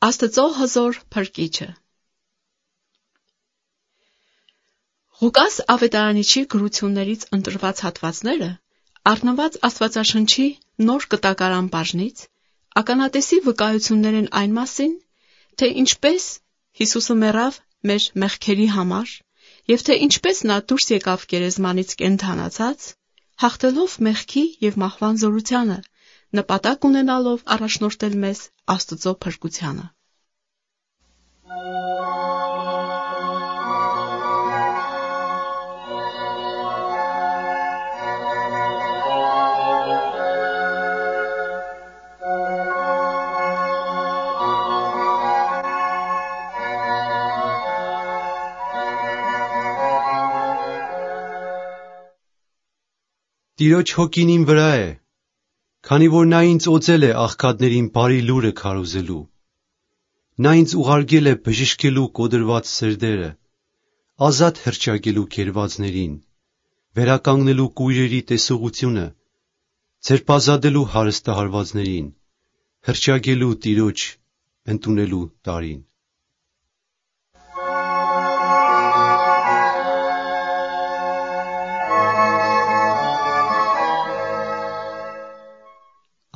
Աստծո հզոր փրկիչը։ Ղուկաս ավետարանիչի գրություններից ընտրված հատվածները առնված Աստվածաշնչի նոր կտակարան բաժնից ականատեսի վկայություններ են այն մասին, թե ինչպես Հիսուսը մեռավ մեր մեղքերի համար և թե ինչպես նա դուրս եկավ գերեզմանից կենդանացած, հաղթելով մեղքի և մահվան զորությանը, նպատակ ունենալով առաջնորդել մեզ Աստծո փրկությանը։ Տիրոջ հոգին իմ վրա է, քանի որ նա ինձ օծել է աղքատներին բարի լուրը քարոզելու։ Նա ինձ ուղարկել է բժշկելու կոդրված սրդերը, ազատ հռչակելու գերվածներին, վերականգնելու կույրերի տեսողությունը, ձերբազատելու հարստահարվածներին, հռչակելու Տիրոջ ընդունելու տարին։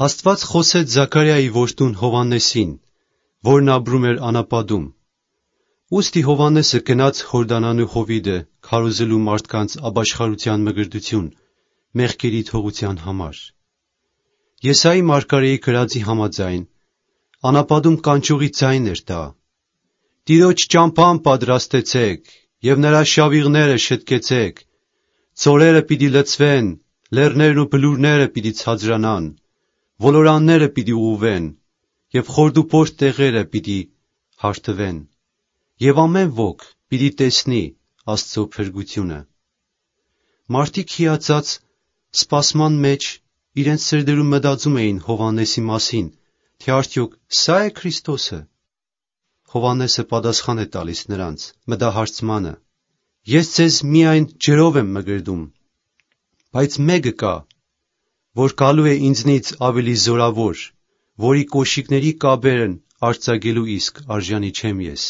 Աստված խոսեց Զաքարիայի որդուն Հովհաննեսին, որն ապրում էր անապատում։ Ուստի Հովհաննեսը գնաց Հորդանանու հովիտը քարոզելու մարդկանց ապաշխարության մկրտություն մեղքերի թողության համար։ Եսայի մարգարեի գրածի համաձայն, անապատում կանչողի ձայն էր դա. «Տիրոջ ճամփան պատրաստեցեք և նրա շավիղները շտկեցեք, ձորերը պիտի լցվեն, լեռներն ու բլուրները պիտի ցածրանան, ոլորանները պիտի ուղղվեն, և խորդուբորդ տեղերը պիտի հարթվեն, և ամեն ոք պիտի տեսնի Աստծո փրկությունը»։ Մարդիկ հիացած սպասման մեջ իրենց սրտերում մտածում էին Հովհաննեսի մասին, թե արդյոք սա՞ է Քրիստոսը։ Հովհաննեսը պատասխան է տալիս նրանց մտահարցմանը. «Ես ձեզ միայն ջրով եմ մկրտում, բայց մեկը կա, որ գալու է ինձնից ավելի զորավոր, որի կոշիկների կապերն արձակելու իսկ արժանի չեմ ես։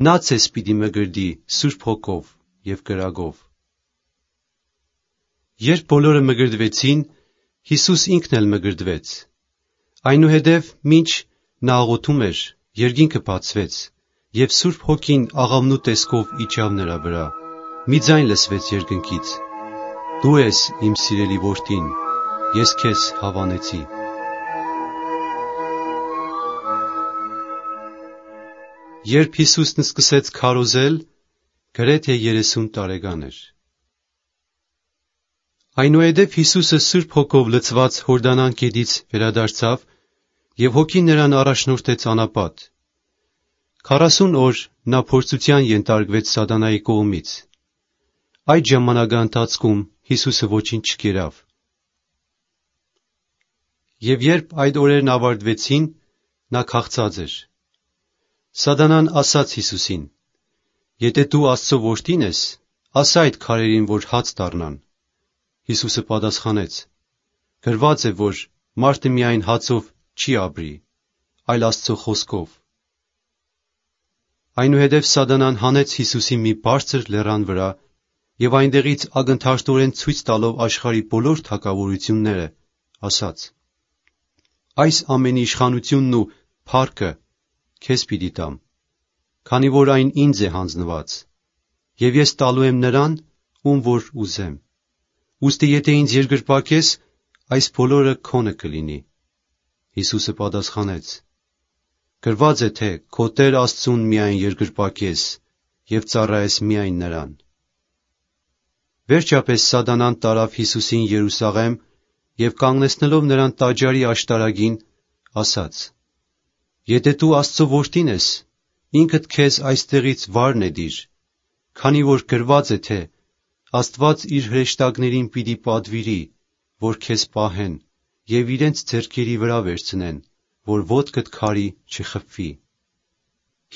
Նա ձեզ պիտի մկրտի Սուրբ Հոգով և կրակով»։ Երբ բոլորը մկրտվեցին, Հիսուս ինքն էլ մկրտվեց։ Այնուհետև, մինչ նա աղոթում էր, երկինքը բացվեց, և Սուրբ Հոգին աղավնու տեսքով իջավ նրա վրա։ Մի ձայն լսվեց երկնքից. «Դու ես իմ սիրելի որդին, ես քեզ հավանեցի»։ Երբ Հիսուսն սկսեց քարոզել, գրեթե 30 տարեկան էր։ Այնուհետև Հիսուսը Սուրբ Հոգով լցված Հորդանան գետից վերադարձավ և Հոգին նրան առաջնորդեց անապատ։ 40 օր նա փորձության ենթարկվեց սատանայի կողմից։ Այդ ժամանակահատվածում Հիսուսը ոչինչ չկերավ։ Եվ երբ այդ օրերն ավարտվեցին, նա քաղցած էր։ Սատանան ասաց Հիսուսին. «Եթե դու Աստծո որդին ես, ասա այդ քարերին, որ հաց դառնան»։ Հիսուսը պատասխանեց. «Գրված է, որ մարդը միայն հացով չի ապրի, այլ Աստծո խոսքով»։ Այնուհետև Սատանան հանեց Հիսուսին մի բարձր լեռան վրա և այնտեղից ակնթարթորեն ցույց տալով աշխարհի բոլոր թագավորությունները, ասաց. «Այս ամենի իշխանությունն ու փառքը քեզ պիտի տամ, քանի որ այն ինձ է հանձնված, և ես տալու եմ նրան, ում որ ուզեմ։ Ուստի եթե ինձ երկրպագես, այս բոլորը քոնը կլինի»։ Հիսուսը պատասխանեց. «Գրված է, թե քո Տեր Աստծուն միայն երկրպագես և ծառայես միայն նրան»։ Վերջապես Սատանան տարավ Հիսուսին Երուսաղեմ և կանգնեցնելով նրան տաճարի աշտարակին, ասաց. «Եթե դու Աստծո որդին ես, ինքդ քեզ այստեղից վար նետիր, քանի որ գրված է, թե Աստված իր հրեշտակներին պիտի պատվիրի, որ քեզ պահեն և իրենց ձեռքերի վրա վերցնեն, որ ոտքդ քարի չխփվի»։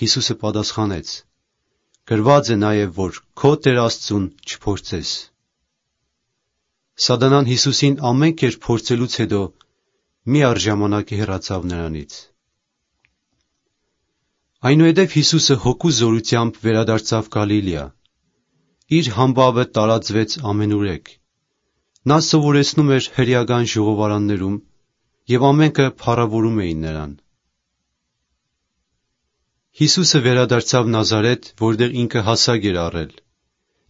Հիսուսը պատասխանեց. «Գրված է նաև, որ քո Տեր Աստծուն չփորձես»։ Սատանան Հիսուսին ամեն կերպ փորձելուց հետո միառժամանակ հեռացավ նրանից։ Այնուհետև Հիսուսը հոգու զորությամբ վերադարձավ Գալիլեա։ Իր համբավը տարածվեց ամենուրեք։ Նա սովորեցնում էր հրեական ժողովարաններում, և ամենքը փառավորում էին նրան։ Հիսուսը վերադարձավ Նազարեթ, որտեղ ինքը հասակ էր առել,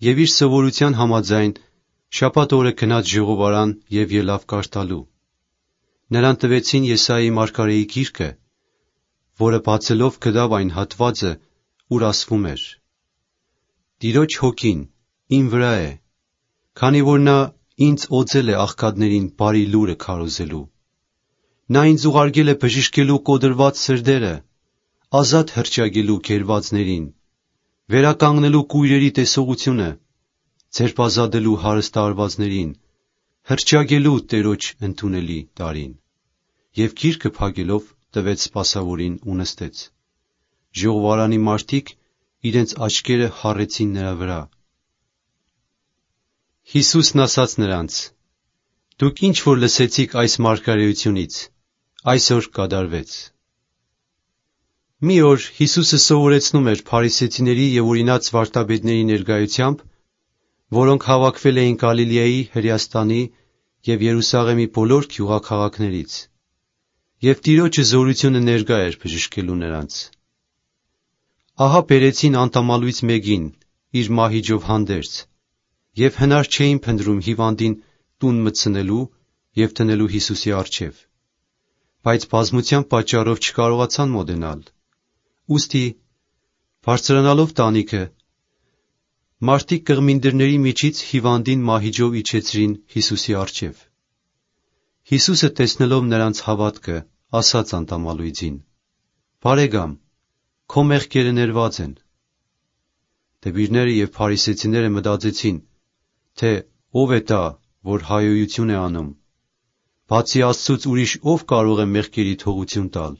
և իր սովորության համաձայն շաբաթ օրը գնաց ժողովարան և ելավ կարդալու։ Նրան տվեցին Եսայի մարգարեի գիրքը, որը բացելով գտավ այն հատվածը, ուր ասվում էր. «Տիրոջ հոգին իմ վրա է, քանի որ նա ինձ օծել է աղքատներին բարի լուրը քարոզելու։ Նա ինձ ուղարկել է բժշկելու կոտրված սրտերը, ազատ հռչակելու գերվածներին, վերականգնելու կույրերի տեսողությունը, ձերբազատելու հարստահարվածներին, հռչակելու Տերոջ ընդունելի տարին»։ Եվ գիրքը փակելով տվեց սպասավորին ու նստեց։ Ժողովարանի մարդիկ իրենց աչքերը հառեցին նրա վրա։ Հիսուսն ասաց նրանց. «Դուք ինչ որ լսեցիք այս մարգարեությունից, այսօր կատարվեց»։ Մի օր Հիսուսը սովորեցնում էր փարիսեցիների և օրինաց վարդապետների ներկայությամբ, որոնք հավաքվել էին Գալիլեայի, Հրեաստանի և Երուսաղեմի բոլոր գյուղաքաղաքներից, և Տիրոջը զորությունը ներկա էր բժշկելու նրանց։ Ահա բերեցին անտամալույց մեկին իր մահիճով հանդերձ, և հնար չէին փնտրում հիվանդին տուն մտցնելու և դնելու Հիսուսի առջև, բայց բազմության պատճառով չկարողացան մոտենալ։ Ուստի, բարձրանալով տանիքը, մարդիկ կղմինդրների միջից հիվանդին մահիճով իջեցրին Հիսուսի առջև։ Հիսուսը տեսնելով նրանց հավատքը, ասաց անտամալույձին. «Բարեկամ, քո մեղքերը ներված են»։ Դպիրները և փարիսեցիները մտածեցին, թե ով է դա, որ հայոյություն է անում, բացի Աստծուց ուրիշ ով կարող է մեղքերի թողություն տալ։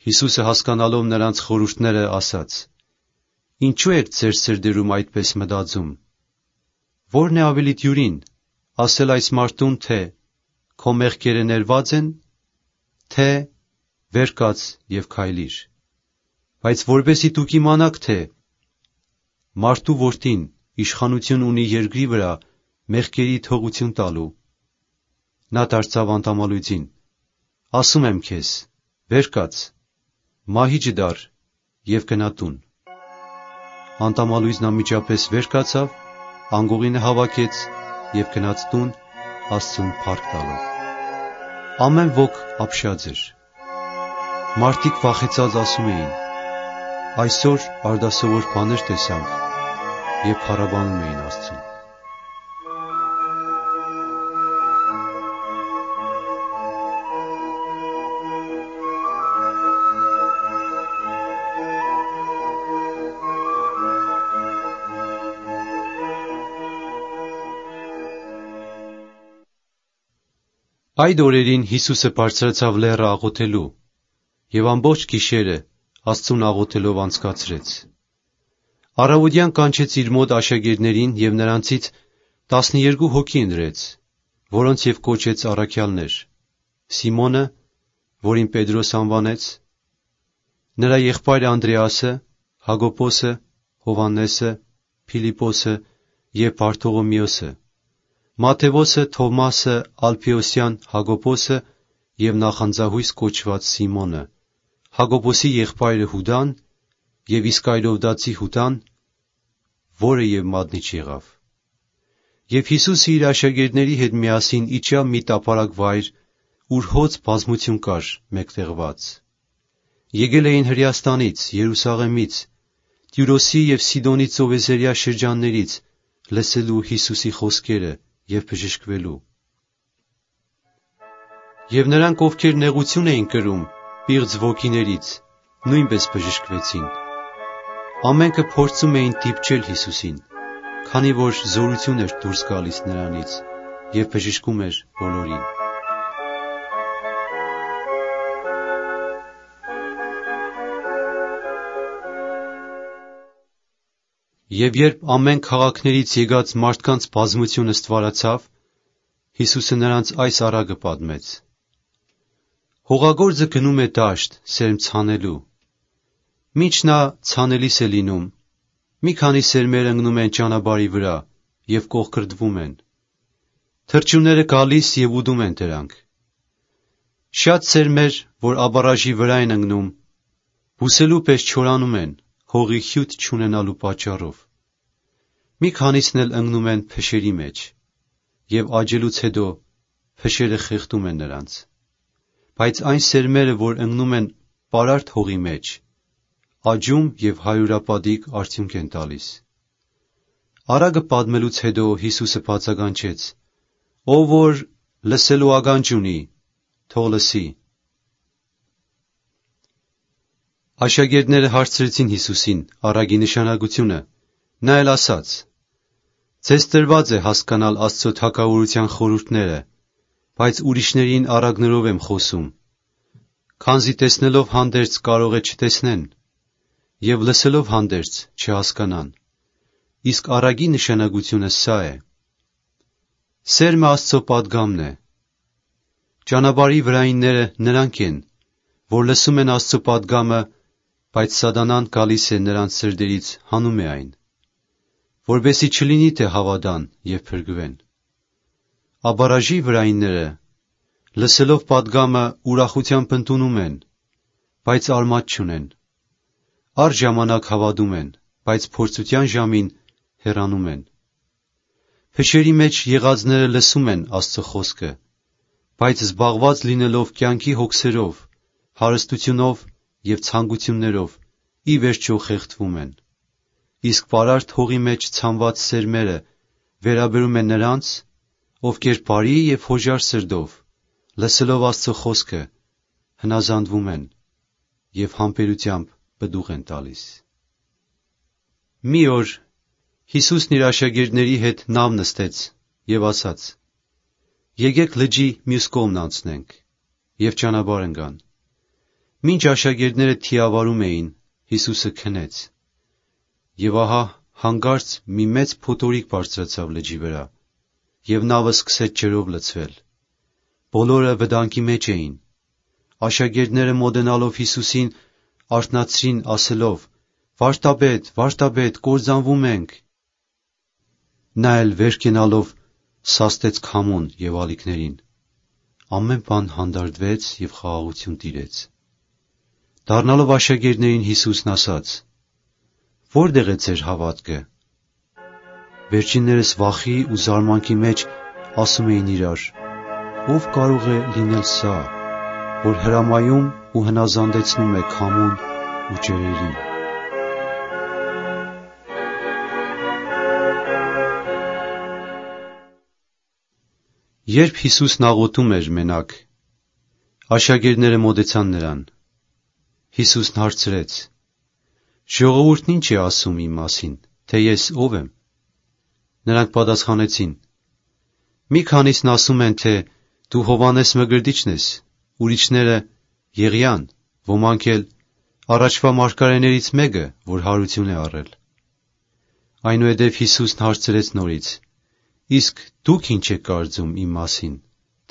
Հիսուսը հասկանալով նրանց խորհուրդները, ասաց. «Ինչու եք ձեր սրտերում այդպես մտածում. ո՞րն է ավելի դյուրին, ասել այս մարդուն, թե «Քո մեղքերը ներված են», թե «Վեր կաց և քայլիր»։ Բայց որպեսզի դուք իմանաք, թե մարդու որդին իշխանություն ունի երկրի վրա մեղքերի թողություն տալու, նա դարձավ անտամալույձին. «Ասում եմ քեզ, վեր կաց, մահիճը դար և գնա տուն»։ Անտամալույձն անմիջապես վեր կացավ, անգողինը հավաքեց և գնաց տուն, Աստծուն փառք տալով։ Ամեն ոք ապշած էր։ Մարդիկ վախեցած ասում էին. «Այսօր արտասովոր բաներ տեսանք», և փառաբանում էին Աստծուն։ Այդ օրերին Հիսուսը բարձրացավ լեռը աղոթելու, և ամբողջ գիշերը Աստծուն աղոթելով անցկացրեց։ Առավոտյան կանչեց իր մոտ աշակերտներին և նրանցից 12 հոգի ընտրեց, որոնց և կոչեց առաքյալներ. Սիմոնը, որին Պետրոս անվանեց, նրա եղբայրը Անդրեասը, Հակոբոսը, Հովհաննեսը, Փիլիպոսը և Բարթողոմեոսը, Մատթեոսը, Թովմասը, Ալփեոսյան Հակոբոսը և նախանձահույս կոչված Սիմոնը, Հակոբոսի եղբայրը Հուդան և Իսկարիովտացի Հուդան, որը և մատնիչ եղավ։ Եվ Հիսուսը իր աշակերտների հետ միասին իջավ մի տափարակ վայր, ուր հոծ բազմություն կար մեկտեղված։ Եկել էին Հրեաստանից, Երուսաղեմից, Տյուրոսի և Սիդոնի ծովեզերյա շրջաններից լսելու Հիսուսի խոսքերը և բժշկվելու։ Եվ նրանք, ովքեր նեղություն էին կրում պիղծ ոգիներից, նույնպես բժշկվեցին։ Ամենքը փորձում էին դիպչել Հիսուսին, քանի որ զորություն էր դուրս գալիս նրանից և բժշկում էր բոլորին։ Եվ երբ ամեն քաղաքներից եկած մարդկանց բազմությունը ստվարացավ, Հիսուսը նրանց այս առակը պատմեց. «Հողագործը գնում է դաշտ սերմ ցանելու, Մինչ նա ցանելիս է լինում, մի քանի սերմեր ընկնում են ճանապարհի վրա և կողքրդվում են։ Թռչունները գալիս և ուդում են դրանք։ Շատ սերմեր, որ աբարաժի վրա են ընկնում, բուսելու պես չորանում են, հողի հյութ չունենալու պատճառով։ Մի քանիսն էլ ընկնում են փշերի մեջ, և աճելուց հետո փշերը խեղդում են նրանց։ Բայց այն սերմերը, որ ընկնում են պարարտ հողի մեջ, աճում և հարյուրապատիկ արդյունք են տալիս։ Առակը պատմելուց հետո Հիսուսը բացականչեց. «Ով որ լսելու ականջ ունի, թող լսի»։ Աշակերտները հարցրեցին Հիսուսին առակի նշանակությունը, նա էլ ասաց. «Ձեզ տրված է հասկանալ Աստծո թագավորության խորհուրդները, բայց ուրիշներին առակներով եմ խոսում, քանզի տեսնելով հանդերձ կարող է չտեսնեն, և լսելով հանդերձ չհասկանան։ Իսկ առակի նշանակությունը սա է. սերմը Աստծո պատգամն է։ Ճանապարհի վրայինները նրանք են, որ լսում են Աստծո պատգամը, բայց սատանան գալիս է նրանց սրտերից հանում է այն, որպեսզի չլինի թե հավատան և փրկվեն։ Աբարաժի վրայինները, լսելով պատգամը, ուրախությամբ ընդունում են, բայց արմատ չունեն։ Առժամանակ հավատում են, բայց փորձության ժամին հեռանում են։ Փշերի մեջ եղածները լսում են Աստծո խոսքը, բայց զբաղված լինելով կյանքի հոգսերով, հարստությունով և ցանկություններով, ի վերջո խեղդվում են։ Իսկ պարարտ հողի մեջ ցանված սերմերը վերաբերում են նրանց, ովքեր բարի և հոժար սրտով, լսելով Աստծո խոսքը, հնազանդվում են և համբերությամբ պտուղ են տալիս։ Մի օր Հիսուսն իր աշակերտների հետ նավ նստեց և ասաց. «Եկեք լճի մյուս կողմն անցնենք», և ճանապարհ ընկան։ Մինչ աշակերտները թիավարում էին, Հիսուսը քնեց։ Եվ ահա հանկարծ մի մեծ փոթորիկ բարձրացավ լճի վրա, և նավը սկսեց ջրով լցվել։ Բոլորը վտանգի մեջ էին։ Աշակերտները մոտենալով Հիսուսին արթնացրին ասելով. «Վարդապետ, վարդապետ, կործանվում ենք»։ Նա էլ վեր կենալով սաստեց քամուն և ալիքներին։ Ամեն բան հանդարտվեց և խաղաղություն տիրեց։ Դառնալով աշակերտներին Հիսուսն ասաց. «Որտե՞ղ է ձեր հավատքը»։ Վերջիններս վախի ու զարմանքի մեջ ասում էին իրար. «Ո՞վ կարող է լինել սա, որ հրամայում ու հնազանդեցնում է քամուն ու ջրերին»։ Երբ Հիսուսն աղոթում էր մենակ, աշակերտները մոտեցան նրան։ Հիսուսն հարցրեց. «Ժողովուրդն ի՞նչ է ասում իմ մասին, թե ես ով եմ»։ Նրանք պատասխանեցին. «Մի քանիսն ասում են, թե դու Հովհաննես Մկրտիչն ես, ուրիշները՝ Եղիան, ոմանք էլ առաջվա մարգարեներից մեկը, որ հարություն է առել»։ Այնուհետև Հիսուսն հարցրեց նորից. «Իսկ դուք ի՞նչ եք կարծում իմ մասին,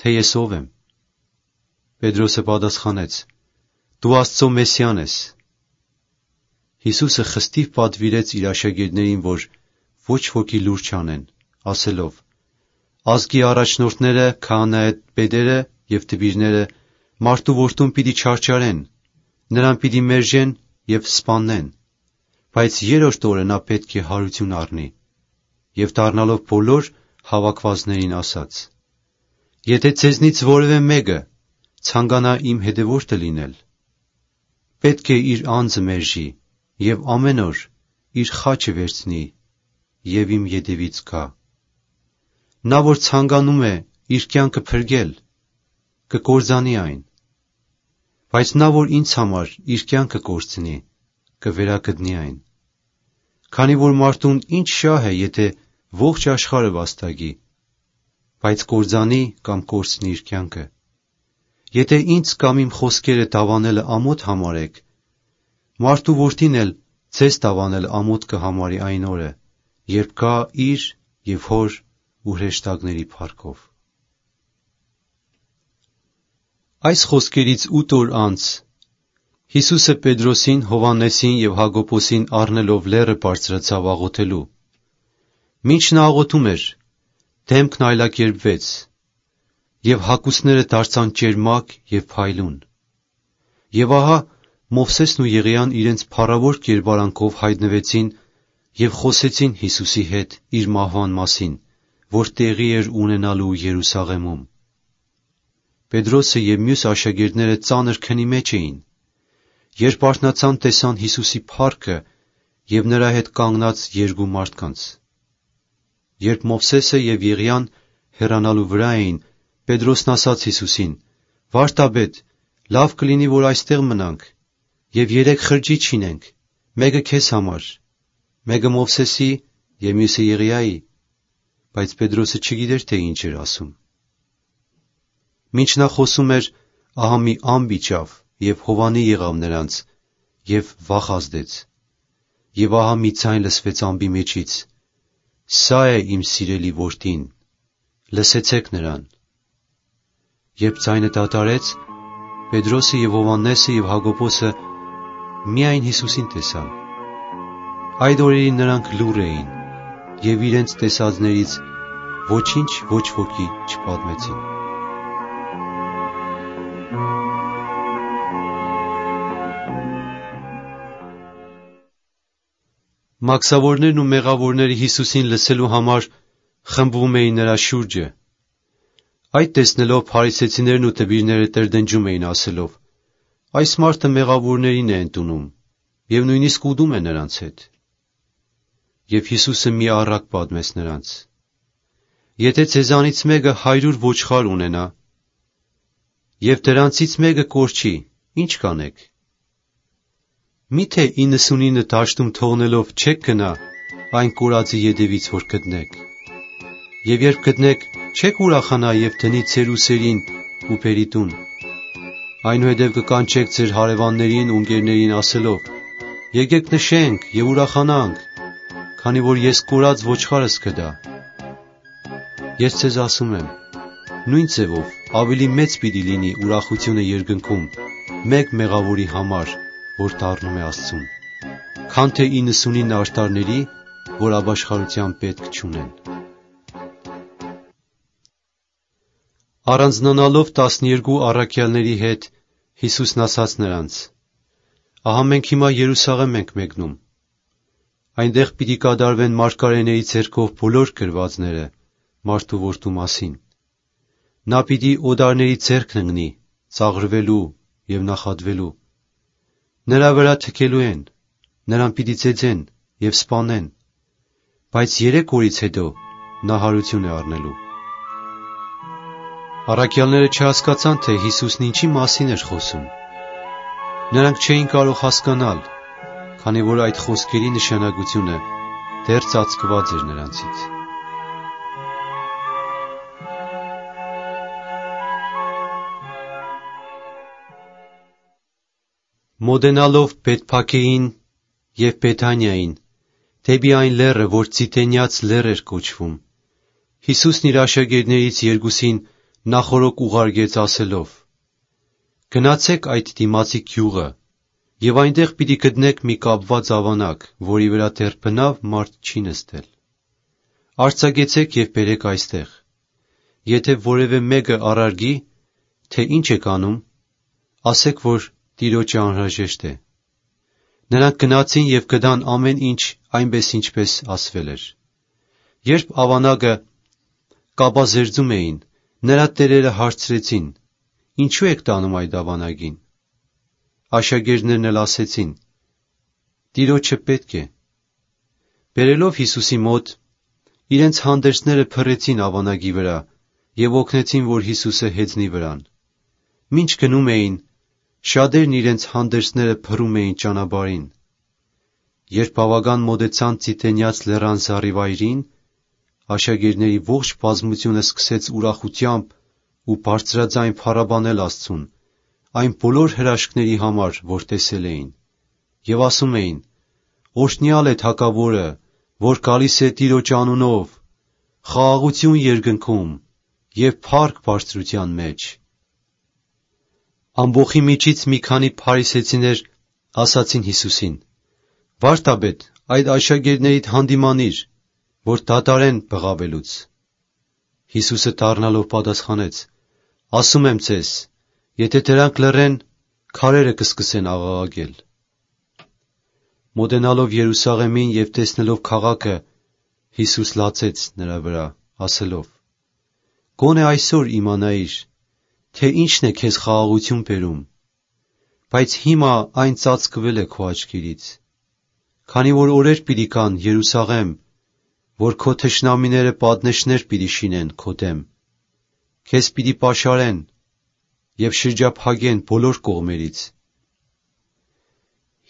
թե ես ով եմ»։ Պետրոսը պատասխանեց. «Դու Աստծո Մեսիան ես»։ Հիսուսը խստիվ պատվիրեց իր աշակերտներին, որ ոչ ոքի լուր չանեն, ասելով. «Ազգի առաջնորդները, քահանայապետերը և դպիրները մարդու որդուն պիտի չարչարեն, նրան պիտի մերժեն և սպանեն, բայց երրորդ օրը նա պետք է հարություն առնի»։ Եվ դառնալով բոլոր հավաքվածներին ասաց. «Եթե ձեզնից որևէ մեկը ցանկանա իմ հետևորդը լինել, պետք է իր անձը մերժի և ամեն օր իր խաչը վերցնի և իմ ետևից գա։ Նա, որ ցանկանում է իր կյանքը փրկել, կկործանի այն, բայց նա, որ ինձ համար իր կյանքը կորցնի, կվերագտնի այն։ Քանի որ մարդուն ինչ շահ է, եթե ողջ աշխարհը վաստակի, բայց կործանի կամ կորցնի իր կյանքը։ Եթե ինձ կամ իմ խոսքերը դավանելը ամոթ համարեք, մարդու որդին էլ ձեզ դավանել ամոթ կհամարի այն օրը, երբ գա իր և հոր ու հրեշտակների փառքով։ Այս խոսքերից 8 օր անց Հիսուսը Պետրոսին, Հովհաննեսին և Հակոբոսին առնելով լեռը բարձրացավ աղոթելու։ Մինչ նա աղոթում էր, դեմքն այլակերպվեց, և հագուստները դարձան ճերմակ և փայլուն։ Եվ ահա Մովսեսն ու Եղիան իրենց փառավոր կերպարանքով հայտնվեցին և խոսեցին Հիսուսի հետ իր մահվան մասին, որ տեղի էր ունենալու Երուսաղեմում։ Պետրոսը և մյուս աշակերտները ծանր քնի մեջ էին։ Երբ արթնացան, տեսան Հիսուսի փառքը և նրա հետ կանգնած երկու մարդկանց։ Երբ Մովսեսը և Եղիան հեռանալու վրա էին, Պետրոսն ասաց Հիսուսին. «Վարդապետ, լավ կլինի, որ այստեղ մնանք և 3 խրճիթ շինենք, մեկը քեզ համար, մեկը Մովսեսի և մյուսը Եղիայի»։ Բայց Պետրոսը չգիտեր, թե ինչ էր ասում։ Մինչ նա խոսում էր, ահա մի ամպ իջավ և հովանի եղավ նրանց, և վախ ազդեց։ Եվ ահա մի ձայն լսվեց ամպի մեջից. «Սա է իմ սիրելի որդին, լսեցեք նրան»։ Երբ ձայնը դադարեց, Պետրոսը և Հովհաննեսը և Հակոբոսը միայն Հիսուսին տեսան։ Այդ օրերին նրանք լուռ էին և իրենց տեսածներից ոչինչ ոչ ոքի չպատմեցին։ Մաքսավորներն ու մեղավորները Հիսուսին լսելու համար խմբվում էին նրա շուրջը։ Այդ տեսնելով փարիսեցիներն ու տբիրները տրտնջում էին ասելով. «Այս մարդը մեղավորներին է ընդունում և նույնիսկ ուտում է նրանց հետ»։ Եվ Հիսուսը մի առակ պատմեց նրանց. «Եթե ձեզանից մեկը 100 ոչխար ունենա, և դրանցից մեկը կորչի, ի՞նչ կանեք։ Մի՞թե 99 դաշտում թողնելով չեք գնա այն կորածի ետևից, որ գտնեք։ Եվ երբ գտնեք, չե՞ք ուրախանա և դնի ձեր ուսերին ու բերի տուն։ Այնուհետև կկանչեք ձեր հարևաններին ու ընկերներին ասելով. «Եկեք նշենք և ուրախանանք, քանի որ ես կորած ոչխարս գտա»։ Ես ձեզ ասում եմ, նույն ձևով ավելի մեծ պիտի լինի ուրախությունը երկնքում մեկ մեղավորի համար, որ դառնում է Աստծուն, քան թե 99 արդարների, որ ապաշխարության պետք չունեն։ Առանձնանալով 12 առաքյալների հետ, Հիսուսն ասաց նրանց. «Ահա մենք հիմա Երուսաղեմ ենք մեկնում։ Այնտեղ պիտի կատարվեն մարգարեների ձեռքով բոլոր գրվածները մարդու որդու մասին։ Նա պիտի օտարների ձեռքն ընկնի, ծաղրվելու և նախատվելու։ Նրա վրա թքելու են, նրան պիտի ծեծեն և սպանեն, բայց 3 օրից հետո նա հարություն է առնելու»։ Առաքյալները չհասկացան, թե Հիսուսն ինչի մասին էր խոսում։ Նրանք չէին կարող հասկանալ, քանի որ այդ խոսքերի նշանակությունը դեռ ծածկված էր նրանցից։ Մոտենալով Բեթփագեին և Բեթանիային, դեպի այն լեռը, որ Ձիթենյաց լեռ էր կոչվում, Հիսուսն իր աշակերտներից երկուսին նախօրոք ուղարկեց ասելով. «Գնացեք այդ դիմացի գյուղը, և այնտեղ պիտի գտնեք մի կապված ավանակ, որի վրա դեռ բնավ մարդ չի նստել։ Արձակեցեք և բերեք այստեղ։ Եթե որևէ մեկը առարգի, թե ինչ եք անում, ասեք, որ Տիրոջը անհրաժեշտ է»։ Նրանք գնացին և գտան ամեն ինչ այնպես, ինչպես ասվել էր։ Երբ ավանակը կապազերծում էին, նրա տերերը հարցրեցին. «Ինչու եք տանում այդ ավանակին»։ Աշակերտներն էլ ասեցին. «Տիրոջը պետք է»։ Բերելով Հիսուսի մոտ, իրենց հանդերձները փռեցին ավանակի վրա և օգնեցին, որ Հիսուսը հեծնի վրան։ Մինչ գնում էին, շատերն իրենց հանդերձները փռում էին ճանապարհին։ Երբ բավական մոտեցան Ձիթենյաց լեռան զառիվայրին, աշակերտների ողջ բազմությունը սկսեց ուրախությամբ ու բարձրաձայն փառաբանել Աստծուն այն բոլոր հրաշքների համար, որ տեսել էին, և ասում էին. «Օրհնյալ է Թագավորը, որ գալիս է Տիրոջ անունով, խաղաղություն երկնքում և փառք բարձրության մեջ»։ Ամբոխի միջից մի քանի փարիսեցիներ ասացին Հիսուսին. «Վարդապետ, այդ աշակերտներիդ հանդիմանիր, որ դադարեն բղավելուց»։ Հիսուսը դառնալով պատասխանեց. «Ասում եմ ձեզ, եթե դրանք լռեն, քարերը կսկսեն աղաղակել»։ Մոտենալով Երուսաղեմին և տեսնելով քաղաքը, Հիսուս լացեց նրա վրա, ասելով. «Գոնե այսօր իմանայիր, թե ինչն է քեզ խաղաղություն բերում, բայց հիմա այն ծածկվել է քո աչքերից, քանի որ օրեր պիտի գան, Երուսաղեմ, որ քո թշնամիները պատնեշներ պիտի շինեն քո դեմ, քեզ պիտի պաշարեն և շրջափակեն բոլոր կողմերից,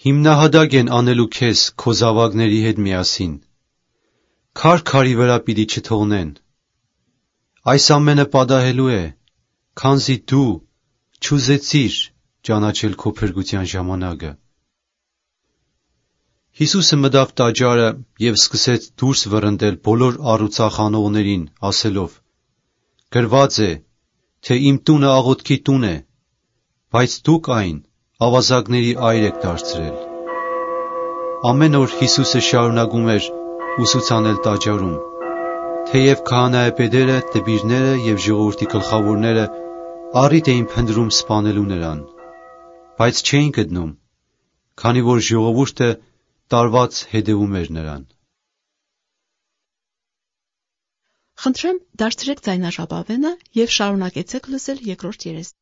հիմնահատակ են անելու քեզ քո զավակների հետ միասին, քար քարի վրա պիտի չթողնեն, այս ամենը պատահելու է, քանզի դու չուզեցիր ճանաչել քո փրկության ժամանակը»։ Հիսուսը մտավ տաճարը և սկսեց դուրս վռնդել բոլոր առուծախանողներին, ասելով. «Գրված է, թե իմ տունը աղոթքի տուն է, բայց դուք այն ավազակների այր եք դարձրել»։ Ամեն օր Հիսուսը շարունակում էր ուսուցանել տաճարում, թեև քահանայապետերը, դպիրները և ժողովրդի գլխավորները առիթ էին փնտրում սպանելու նրան, բայց չէին գտնում, քանի որ ժողովուրդը տարված հետևում էր նրան։ Խնդրեմ, դարձրեք ձայնաժապավենը և շարունակեցեք լսել երկրորդ երեսը։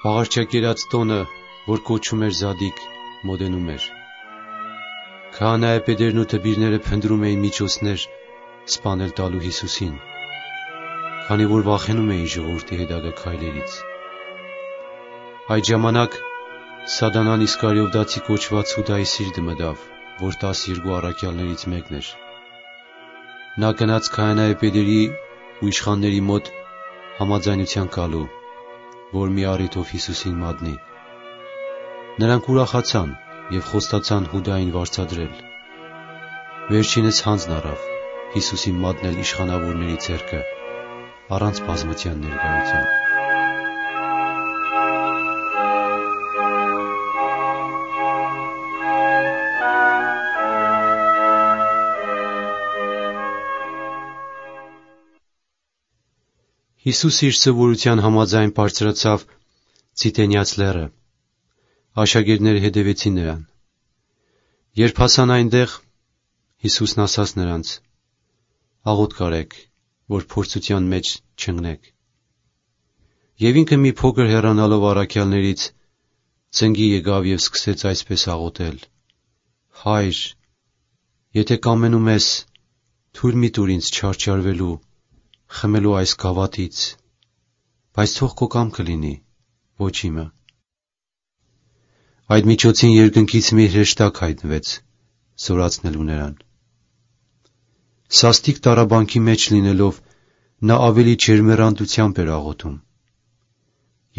Աղարջակերած տոնը, որ կոչում էր Զադիկ, մոտենում էր։ Քահանայապետերն ու դպիրները փնտրում էին միջոցներ սպանել տալու Հիսուսին, քանի որ վախենում էին ժողովրդի հետագա քայլերից։ Այդ ժամանակ Սատանան Իսկարիովտացի կոչված Հուդայի սիրտը մտավ, որ 12 առաքյալներից մեկն էր։ Նա գնաց քահանայապետերի ու իշխանների մոտ համաձայնության գալու, որ մի առիթով Հիսուսին մատնի։ Նրանք ուրախացան և խոստացան Հուդային վարձատրել։ Վերջինս հանձն առավ Հիսուսին մատնել իշխանավորների ձեռքը առանց բազմության ներկայության։ Հիսուսը իր սովորության համաձայն բարձրացավ Ցիտենյաց լեռը։ Աշակերտները հետևեցին նրան։ Երբ հասան այնտեղ, Հիսուսն ասաց նրանց. «Աղոթք արեք, որ փորձության մեջ չընկնեք»։ Եվ ինքը մի փոքր հեռանալով առաքյալներից ծնկի եկավ և սկսեց այսպես աղոթել. «Հայր, եթե կամենում ես, թույլ մի տուր ինձ չարչարվելու, խմելու այս գավաթից, բայց թող քո կամքը լինի, ոչ իմը»։ Այդ միջոցին երկնքից մի հրեշտակ հայտնվեց, զորացնելու նրան։ Սաստիկ տառաբանքի մեջ լինելով, նա ավելի ջերմեռանդությամբ էր աղոթում,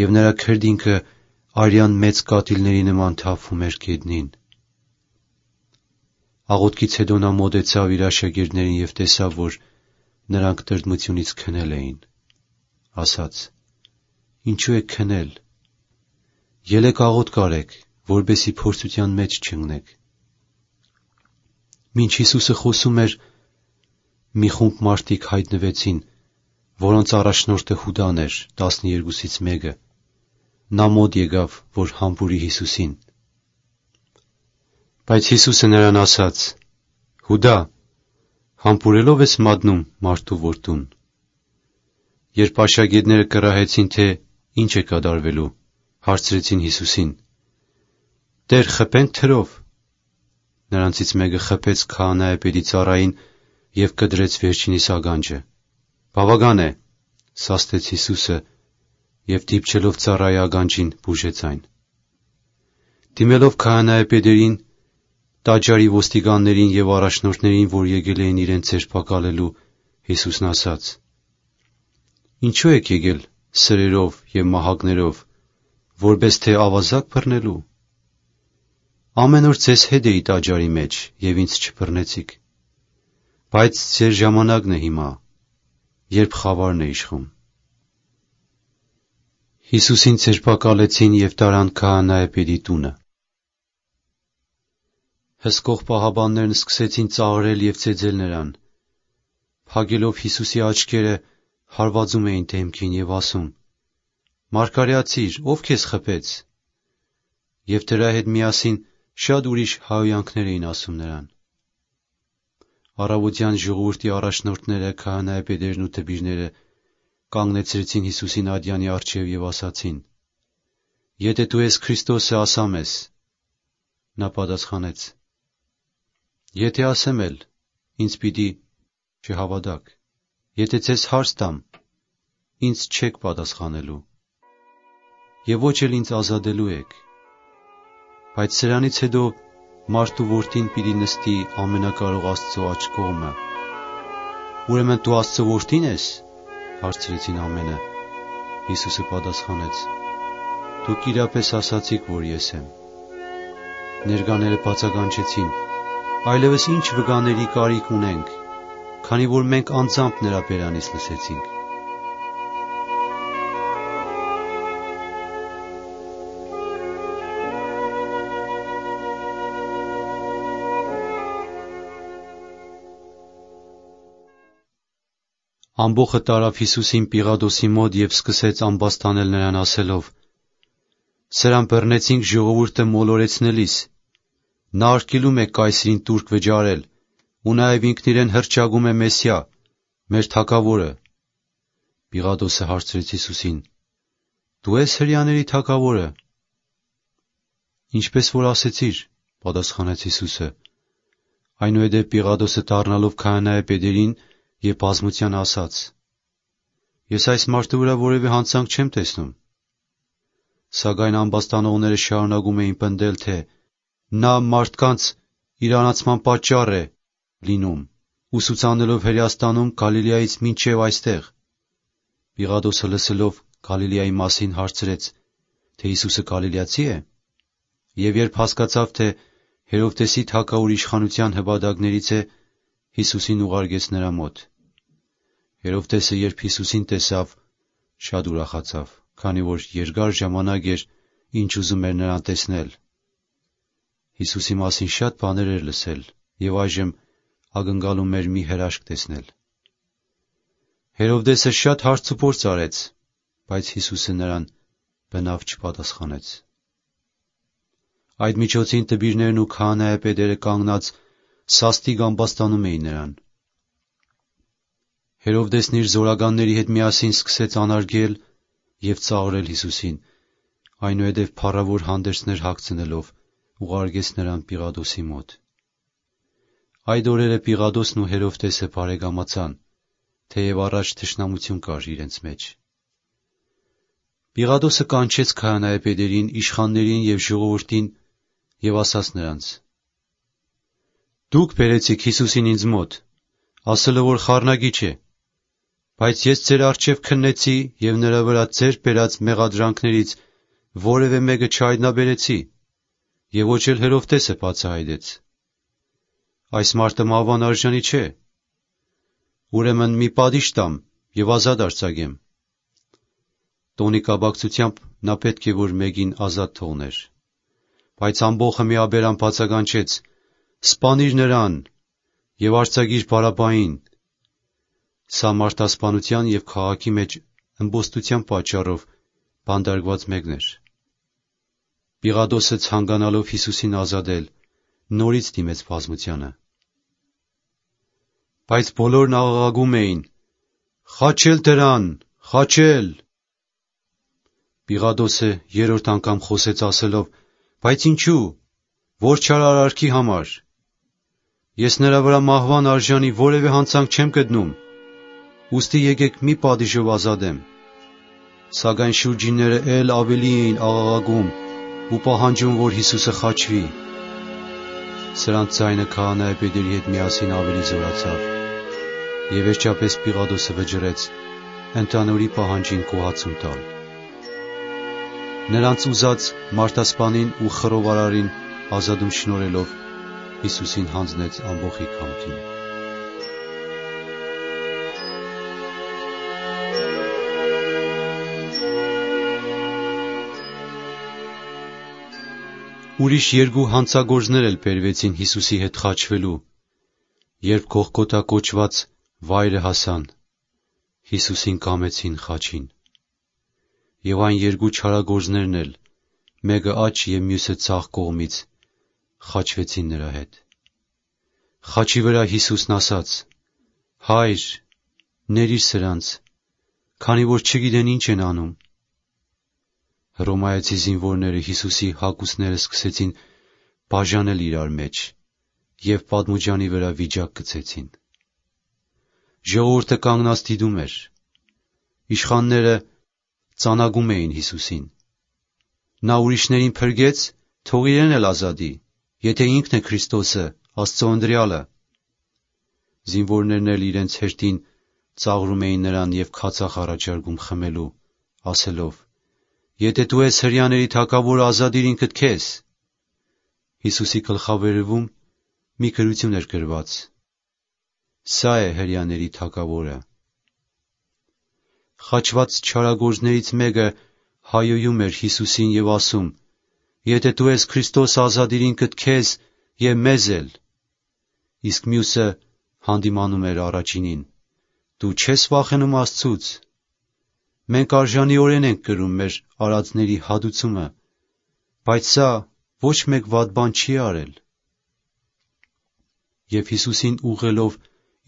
և նրա քրտինքը արյան մեծ կաթիլների նման թափվում էր գետնին։ Աղոթքից հետո նա մոտեցավ իր աշակերտներին և տեսավ, որ նրանք տրտմությունից քնել էին, ասաց. «Ինչու եք քնել։ Ելեք աղոթք արեք, որպեսզի փորձության մեջ չընկնեք»։ Մինչ Հիսուսը խոսում էր, մի խումբ մարդիկ հայտնվեցին, որոնց առաջնորդը Հուդան էր, 12-ից մեկը։ Նա մոտ եկավ, որ համբուրի Հիսուսին։ Բայց Հիսուսը նրան ասաց. «Հուդա, համբուրելով ես մատնում մարդու որդուն»։ Երբ աշակերտները կռահեցին, թե ինչ է կատարվելու, հարցրեցին Հիսուսին. «Տեր, խփե՞նք թրով»։ Նրանցից մեկը խփեց քահանայապետի ծառային և կդրեց վերջինիս ագանջը։ «Բավական է», սաստեց Հիսուսը և դիպչելով ծառայի ագանջին բուժեց այն։ Դիմելով քահանայապետերին, տաճարի ոստիկաններին և առաջնորդներին, որ եկել էին իրեն ձերբակալելու, Հիսուսն ասաց. «Ինչու եք եկել սրերով և մահակներով, որպես թե ավազակ բռնելու։ Ամեն օր ձեզ հետ էի տաճարի մեջ և ինձ չբռնեցիք։ Բայց ձեր ժամանակն է հիմա, երբ խավարն է իշխում»։ Հիսուսին ձերբակալեցին և տարան քահանայապետի տունը։ Հսկող պահաբաններն սկսեցին ծաղրել և ծեծել նրան։ Փակելով Հիսուսի աչքերը, հարվածում էին դեմքին և ասում. «Մարգարեացի՛ր, ով քեզ խփեց»։ Եվ դրա հետ միասին շատ ուրիշ հայհոյանքներ էին ասում նրան։ Առավոտյան ժողովրդի առաջնորդները, քահանայապետերն ու դպիրները կանգնեցրեցին Հիսուսին ատյանի առջև և ասացին. «Եթե դու ես Քրիստոսը, ասա մեզ»։ Նա պատասխանեց. «Եթե ասեմ էլ, ինձ պիտի չհավատաք. եթե ձեզ հարց տամ, ինձ չեք պատասխանելու, և ոչ էլ ինձ ազատելու եք։ Բայց սրանից հետո մարդու որդին պիտի նստի ամենակարող Աստծո աջ կողմը»։ «Ուրեմն դու Աստծո որդի՞ն ես», հարցրեցին ամենը։ Հիսուսը պատասխանեց. «Դուք իրապես ասացիք, որ ես եմ»։ Ներկաները բացականչեցին. «Այլևս ի՞նչ վկաների կարիք ունենք, քանի որ մենք անձամբ նրա բերանից լսեցինք»։ Ամբոխը տարավ Հիսուսին Պիղադոսի մոտ և սկսեց ամբաստանել նրան ասելով. «Սրան բռնեցինք ժողովուրդը մոլորեցնելիս։ Նա արգելում է կայսրին տուրք վճարել ու նաև ինքն իրեն հռչակում է Մեսիա, մեր թագավորը»։ Պիղադոսը հարցրեց Հիսուսին. «Դու ես հրեաների թագավորը»։ «Ինչպես որ ասեցիր», պատասխանեց Հիսուսը։ Այնուհետև Պիղադոսը դառնալով քահանայապետերին և բազմության ասաց. «Ես այս մարդու վրա որևէ հանցանք չեմ տեսնում»։ Սակայն ամբաստանողները շարունակում էին պնդել, թե նա մարդկանց իրանացման պատճառ է լինում, ուսուցանելով Հրեաստանում Գալիլեայից մինչև այստեղ։ Պիղադոսը լսելով Գալիլեայի մասին հարցրեց, թե Հիսուսը գալիլեացի է, և երբ հասկացավ, թե Հերովդեսի թագավոր իշխանության հպատակներից է, Հիսուսին ուղարկեց նրա մոտ։ Հերովդեսը, երբ Հիսուսին տեսավ, շատ ուրախացավ, քանի որ երկար ժամանակ էր, ինչ ուզում էր նրան տեսնել։ Հիսուսի մասին շատ բաներ էր լսել և այժմ ակնկալում էր մի հրաշք տեսնել։ Հերովդեսը շատ հարցուփորձ արեց, բայց Հիսուսը նրան բնավ չպատասխանեց։ Այդ միջոցին դպիրներն ու քահանայապետերը կանգնած սաստիկ ամբաստանում էին նրան։ Հերովդեսն իր զորականների հետ միասին սկսեց անարգել և ծաղրել Հիսուսին, այնուհետև փառավոր հանդերձներ հագցնելով ուղարկեց նրան Պիղադոսի մոտ։ Այդ օրերը Պիղադոսն ու Հերովդեսը բարեկամացան, թեև առաջ թշնամություն կար իրենց մեջ։ Պիղադոսը կանչեց քահանայապետերին, իշխաններին և ժողովրդին և ասաց նրանց. «Դուք բերեցիք Հիսուսին ինձ մոտ, ասելով, որ խառնագիչ է, բայց ես ձեր առջև քննեցի և նրա վրա ձեռք բերած մեղադրանքներից որևէ մեկը չհայտնաբերեցի, և ոչ էլ Հերովդեսը բացահայտեց։ Այս մարդը մահվան արժանի չէ։ Ուրեմն մի պատիժ տամ և ազատ արձակեմ»։ Տոնի կապակցությամբ նա պետք է որ մեկին ազատ թողներ։ Բայց ամբոխը միաբերան բացականչեց. «Սպանիր նրան և արձակիր Բարաբբային»։ Սա մարդասպանության և քաղաքի մեջ ըմբոստության պատճառով բանտարկված մեկն էր։ Պիղադոսը, ցանկանալով Հիսուսին ազատել, նորից դիմեց բազմությանը։ Բայց բոլորն աղաղակում էին. «Խաչե՛լ դրան, խաչե՛լ»։ Պիղադոսը երրորդ անգամ խոսեց ասելով. «Բայց ինչու՞, որ չար արարքի համար, Ես նրա վրա մահվան արժանի որևէ հանցանք չեմ գտնում, ուստի եկեք մի պատիժով ազատեմ։ Սակայն շուրջինները էլ ավելի էին աղաղակում ու պահանջում, որ Հիսուսը խաչվի։ Սրանց ձայնը քահանայապետերի հետ միասին ավելի զորացավ, եւ վերջապես Պիղատոսը վճռեց ընդհանուրի պահանջին կոհացում տալ։ Նրանց ուզած մարդասպանին ու խռովարարին ազատում շնորհելով Հիսուսին հանձնեց ամբոխի կամքին։ Ուրիշ երկու հանցագործներ էլ բերվեցին Հիսուսի հետ խաչվելու, երբ Գողգոթա կոչված վայրը հասան, Հիսուսին կամեցին խաչին։ Եվ այն երկու չարագործներն էլ, մեկը աջ և մյուսը ձախ կողմից, խաչվեցին նրա հետ։ Խաչի վրա Հիսուսն ասաց. «Հայր, ներիր սրանց, քանի որ չգիտեն ինչ են անում»։ Հռոմայացի զինվորները Հիսուսի հագուստները սկսեցին բաժանել իրար մեջ և պատմուջանի վրա վիճակ գցեցին։ Ժողովուրդը կանգնած դիտում էր։ Իշխանները ծանագում էին Հիսուսին։ Նա ուրիշներին փրկեց, թող իրեն էլ ազատի, եթե ինքն է Քրիստոսը, Աստծո ընտրյալը։ Զինվորներն էլ իրենց հերթին ծաղրում էին նրան և քացախ առաջարկում խմելու, ասելով. «Եթե դու ես հրեաների թագավորը, ազատիր ինքդ քեզ»։ Հիսուսի գլխավերևում մի գրություն էր գրված. «Սա է հրեաների թագավորը»։ Խաչված չարագործներից մեկը հայոյում էր Հիսուսին և ասում. «Եթե դու ես Քրիստոսը, ազատիր ինքդ քեզ և մեզ էլ»։ Իսկ մյուսը հանդիմանում էր առաջինին. «Դու չես վախենում Աստծուց։ Մենք արժանիորեն ենք կրում մեր արածների հատուցումը, բայց սա ոչ մեկ վատ բան չի արել»։ Եվ Հիսուսին ուղղելով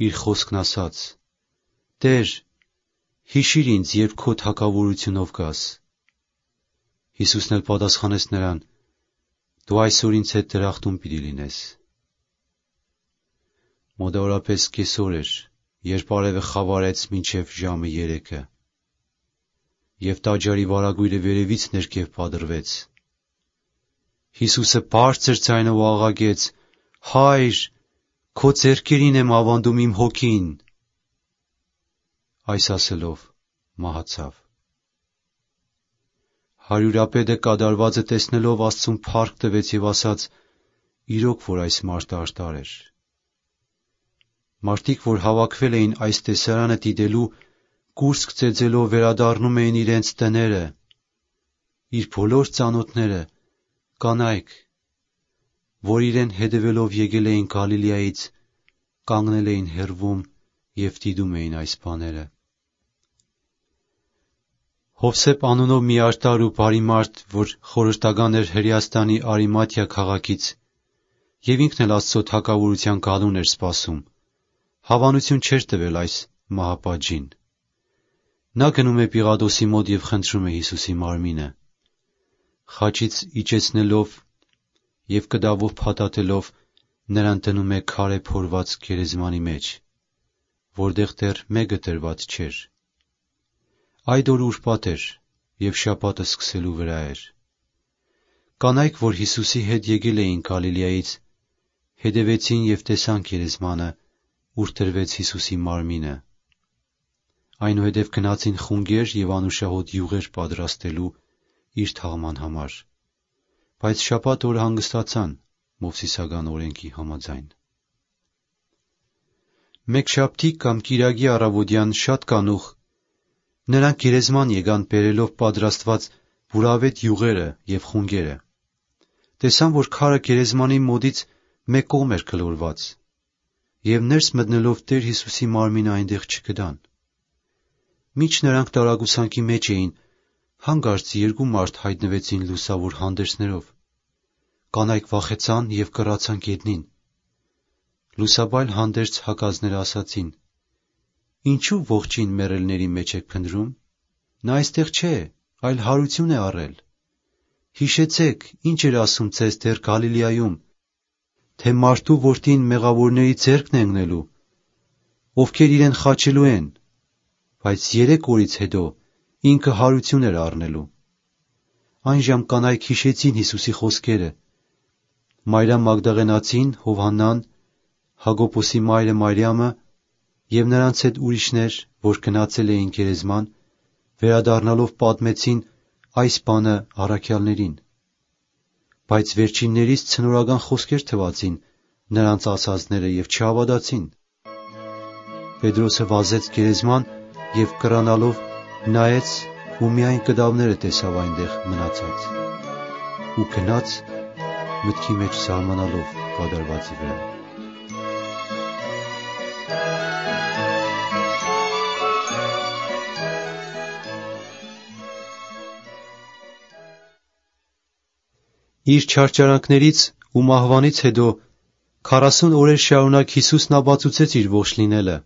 իր խոսքն ասաց. «Տեր, հիշիր ինձ, երբ քո թագավորությունով գաս»։ Հիսուսն էլ պատասխանեց նրան. «Դու այսօր ինձ հետ դրախտում պիտի լինես»։ Մոտավորապես կեսօր էր, երբ արևը խավարեց մինչև ժամը 3-ը, և տաճարի վարագույրը վերևից ներքև պատռվեց։ Հիսուսը բարձր ձայնով աղաղակեց. «Հա՛յր, քո ձեռքերին եմ ավանդում իմ հոգին»։ Այս ասելով մահացավ։ Հարյուրապետը կատարվածը տեսնելով Աստծուն փառք տվեց և ասաց. «Իրոք որ այս մարդը արդար էր»։ Մարդիկ, որ հավաքվել էին այս տեսարանը դիտելու, կուրծք ծեծելով վերադառնում էին իրենց տները։ Իր բոլոր ծանոթները, կանայք, որ իրեն հետևելով եկել էին Գալիլեայից, կանգնել էին հեռվում և դիտում էին այս բաները։ Հովսեփ անունով մի արդար ու բարի մարդ, որ խորհրդական էր Հրեաստանի Արիմաթիա քաղաքից, և ինքն էլ Աստծո թագավորության գալուն էր սպասում, հավանություն չէր տվել այս մահապատժին։ Նա գնում է Պիղատոսի մոտ և խնդրում է Հիսուսի մարմինը։ Խաչից իջեցնելով և կտավով փաթաթելով նրան դնում է քարե փորված գերեզմանի մեջ, որտեղ դեռ մեկը դրված չէր։ Այդ օրը ուրբաթ էր, և շաբաթը սկսելու վրա էր։ Կանայք, որ Հիսուսի հետ եկել էին Գալիլեայից, հետևեցին և տեսան գերեզմանը, ուր դրվեց Հիսուսի մարմինը։ Այնուհետև գնացին խունգեր և անուշահոտ յուղեր պատրաստելու իր թաղման համար, բայց շաբաթ օրը հանգստացան Մովսիսական օրենքի համաձայն։ Մեկշաբթի կամ կիրակի առավոտյան շատ կանուխ նրանք գերեզման եկան բերելով պատրաստված բուրավետ յուղերը և խունգերը։ Տեսան, որ քարը գերեզմանի մոտից մեկ կողմ էր գլորված, և ներս մտնելով Տեր Հիսուսի մարմինը այնտեղ չգտան։ Մինչ նրանք տարակուսանքի մեջ էին, հանկարծ երկու մարդ հայտնվեցին լուսավոր հանդերձներով։ Կանայք վախեցան և կռացան գետնին։ Լուսաբայլ հանդերձ հակածները ասացին. «Ինչու ողջին մեռելների մեջ եք փնտրում, նա այստեղ չէ, այլ հարություն է առել։ Հիշեցեք, ինչ էր ասում ձեզ դեռ Գալիլեայում, թե մարդու որդին մեղավորների ձեռքն է ընկնելու, ովքեր իրեն խաչելու են, բայց 3 օրից հետո ինքը հարություն էր առնելու։ Այն ժամ կանայք հիշեցին Հիսուսի խոսքերը։ Մարիամ Մագդաղենացին, Հովհաննան, Հակոբոսի մայրը Մարիամը և նրանց հետ ուրիշներ, որ գնացել էին գերեզման, վերադառնալով պատմեցին այս բանը առաքյալներին։ Բայց վերջիններից ցնորական խոսքեր թվացին նրանց ասածները և չհավատացին։ Պետրոսը վազեց գերեզման և կռանալով նայեց ու միայն կդավները տեսավ այնտեղ մնացած ու գնաց մտքի մեջ զարմանալով կատարվածի վրա։ Իր չարչարանքներից ու մահվանից հետո 40 օրեր շարունակ Հիսուսն ապացուցեց իր ողջ լինելը։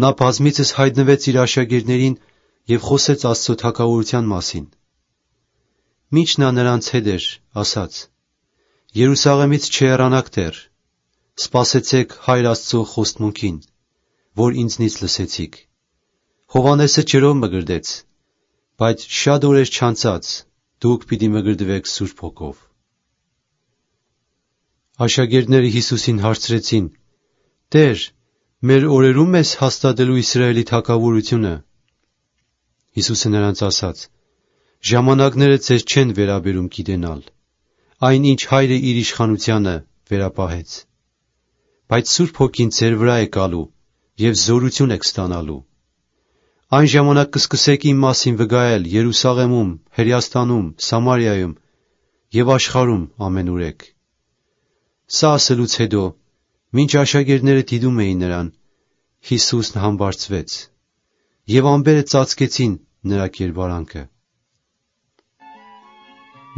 Նա բազմիցս հայտնվեց իր աշակերտներին և խոսեց Աստծո թագավորության մասին։ Մինչ նա նրանց հետ էր, ասաց. «Երուսաղեմից չհեռանաք դեռ, սպասեցեք Հայր Աստծո խոստմունքին, որ ինձնից լսեցիք։ Հովհաննեսը ջրով մկրտեց, բայց շատ օրեր չանցած դուք պիտի մկրտվեք Սուրբ Հոգով»։ Աշակերտները Հիսուսին հարցրեցին. «Տեր, մեր օրերում ես հաստատելու Իսրայելի թագավորությունը»։ Հիսուսը նրանց ասաց. «Ժամանակները ձեզ չեն վերաբերում գիտենալ, այն ինչ Հայրը իր իշխանությանը վերապահեց։ Բայց Սուրբ Հոգին ձեր վրա է գալու և զորություն եք ստանալու։ Այն ժամանակ կսկսեք իմ մասին վկայել Երուսաղեմում, Հրեաստանում, Սամարիայում և աշխարհում ամենուրեք»։ Սա ասելուց հետո, մինչ աշակերտները դիտում էին նրան, Հիսուսն համբարձվեց, և ամպերը ծածկեցին նրա կերպարանքը։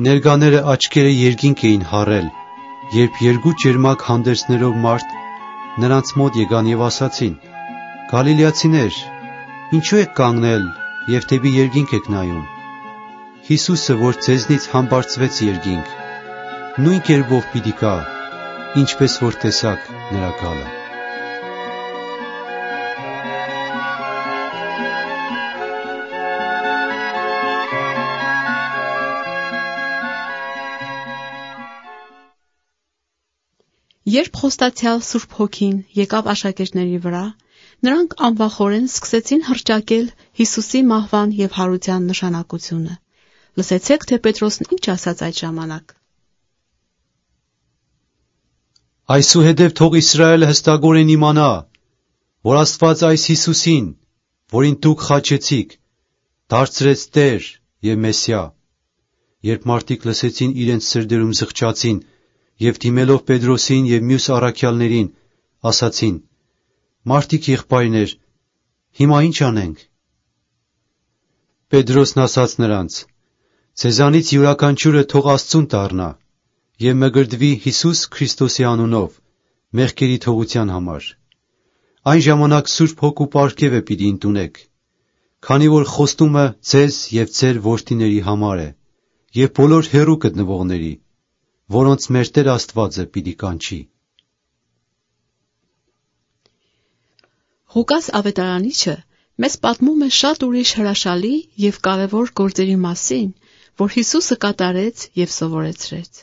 Ներկաները աչքերը երկինք էին հառել, երբ 2 ճերմակ հանդերձներով մարդ նրանց մոտ եկան և ասացին. «Գալիլեացիներ, ինչու եք կանգնել և դեպի երկինք եք նայում։ Հիսուսը, որ ձեզնից համբարձվեց երկինք, նույն կերպով պիտի գա, ինչպես որ տեսաք նրա գալը»։ Երբ խոստացյալ Սուրբ Հոգին եկավ աշակերտների վրա, նրանք անվախորեն սկսեցին հռչակել Հիսուսի մահվան և հարության նշանակությունը։ Լսեցեք, թե Պետրոսն ինչ ասաց այդ ժամանակ։ «Այսուհետև թող Իսրայելը հստակորեն իմանա, որ Աստված այս Հիսուսին, որին դուք խաչեցիք, դարձրեց Տեր և Մեսիա»։ Երբ մարդիկ լսեցին, իրենց սրտերում զղջացին և դիմելով Պետրոսին և մյուս առաքյալներին, ասացին. «Մարդիկ եղբայրներ, հիմա ի՞նչ անենք»։ Պետրոսն ասաց նրանց. «Ձեզանից յուրաքանչյուրը թող Աստծուն դառնա և մկրտվի Հիսուս Քրիստոսի անունով մեղքերի թողության համար։ Այն ժամանակ Սուրբ Հոգու պարգևը պիտի ընդունեք, քանի որ խոստումը ձեզ և ձեր որդիների համար է և բոլոր հեռու գտնվողների, որոնց մեր Տեր Աստվածը պիտի կանչի»։ Ղուկաս ավետարանիչը մեզ պատմում է շատ ուրիշ հրաշալի և կարևոր գործերի մասին, որ Հիսուսը կատարեց և սովորեցրեց,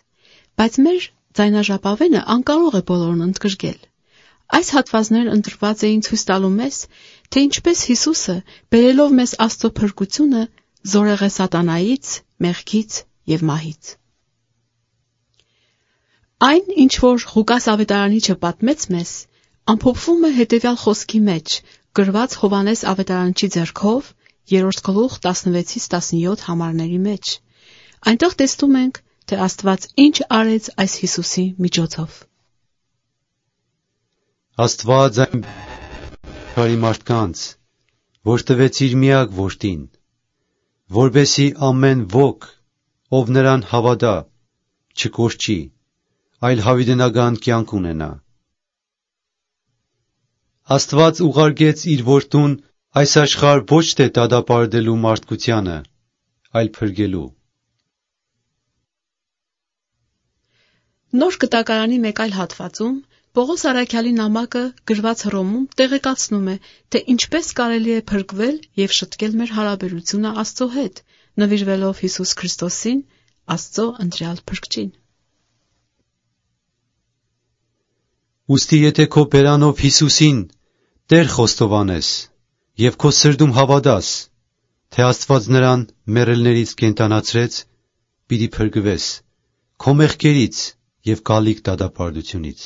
բայց մեր ձայնաժապավենը անկարող է բոլորն ընդգրկել։ Այս հատվածներն ընտրված էին ցույց տալու մեզ, թե ինչպես Հիսուսը, բերելով մեզ Աստծո փրկությունը, զորեղ է սատանայից, մեղքից և մահից։ Այն, ինչ որ Ղուկաս ավետարանիչը պատմեց մեզ, ամփոփվում է հետևյալ խոսքի մեջ, գրված Հովհաննես ավետարանչի ձեռքով 3 գլուխ 16-17 համարների մեջ։ Այնտեղ տեսնում ենք, թե Աստված ինչ արեց այս Հիսուսի միջոցով։ Աստված այն աշխարհի մարդկանց, որ տվեց իր միակ որդին, որպեսզի ամեն ոք, ով նրան հավատա, չկորչի, այլ հավիտենական կյանք ունենա։ Աստված ուղարկեց իր որդուն այս աշխարհ ոչ թե դատապարտելու մարդկությանը, այլ փրկելու։ Նոր Կտակարանի մեկ այլ հատվածում Պողոս Առաքյալի նամակը գրված Հռոմում տեղեկացնում է, թե ինչպես կարելի է փրկվել եւ շտկել մեր հարաբերությունը Աստծո հետ, նվիրվելով Հիսուս Քրիստոսին, Աստծո ընտրյալ փրկչին։ Ուստի եթե քո բերանով Հիսուսին Տեր խոստովանես եւ քո սրտում հավատաս, թե Աստված նրան մեռելներից կենդանացրեց, պիտի փրկվես քո մեղքերից եւ գալիք դատապարտությունից։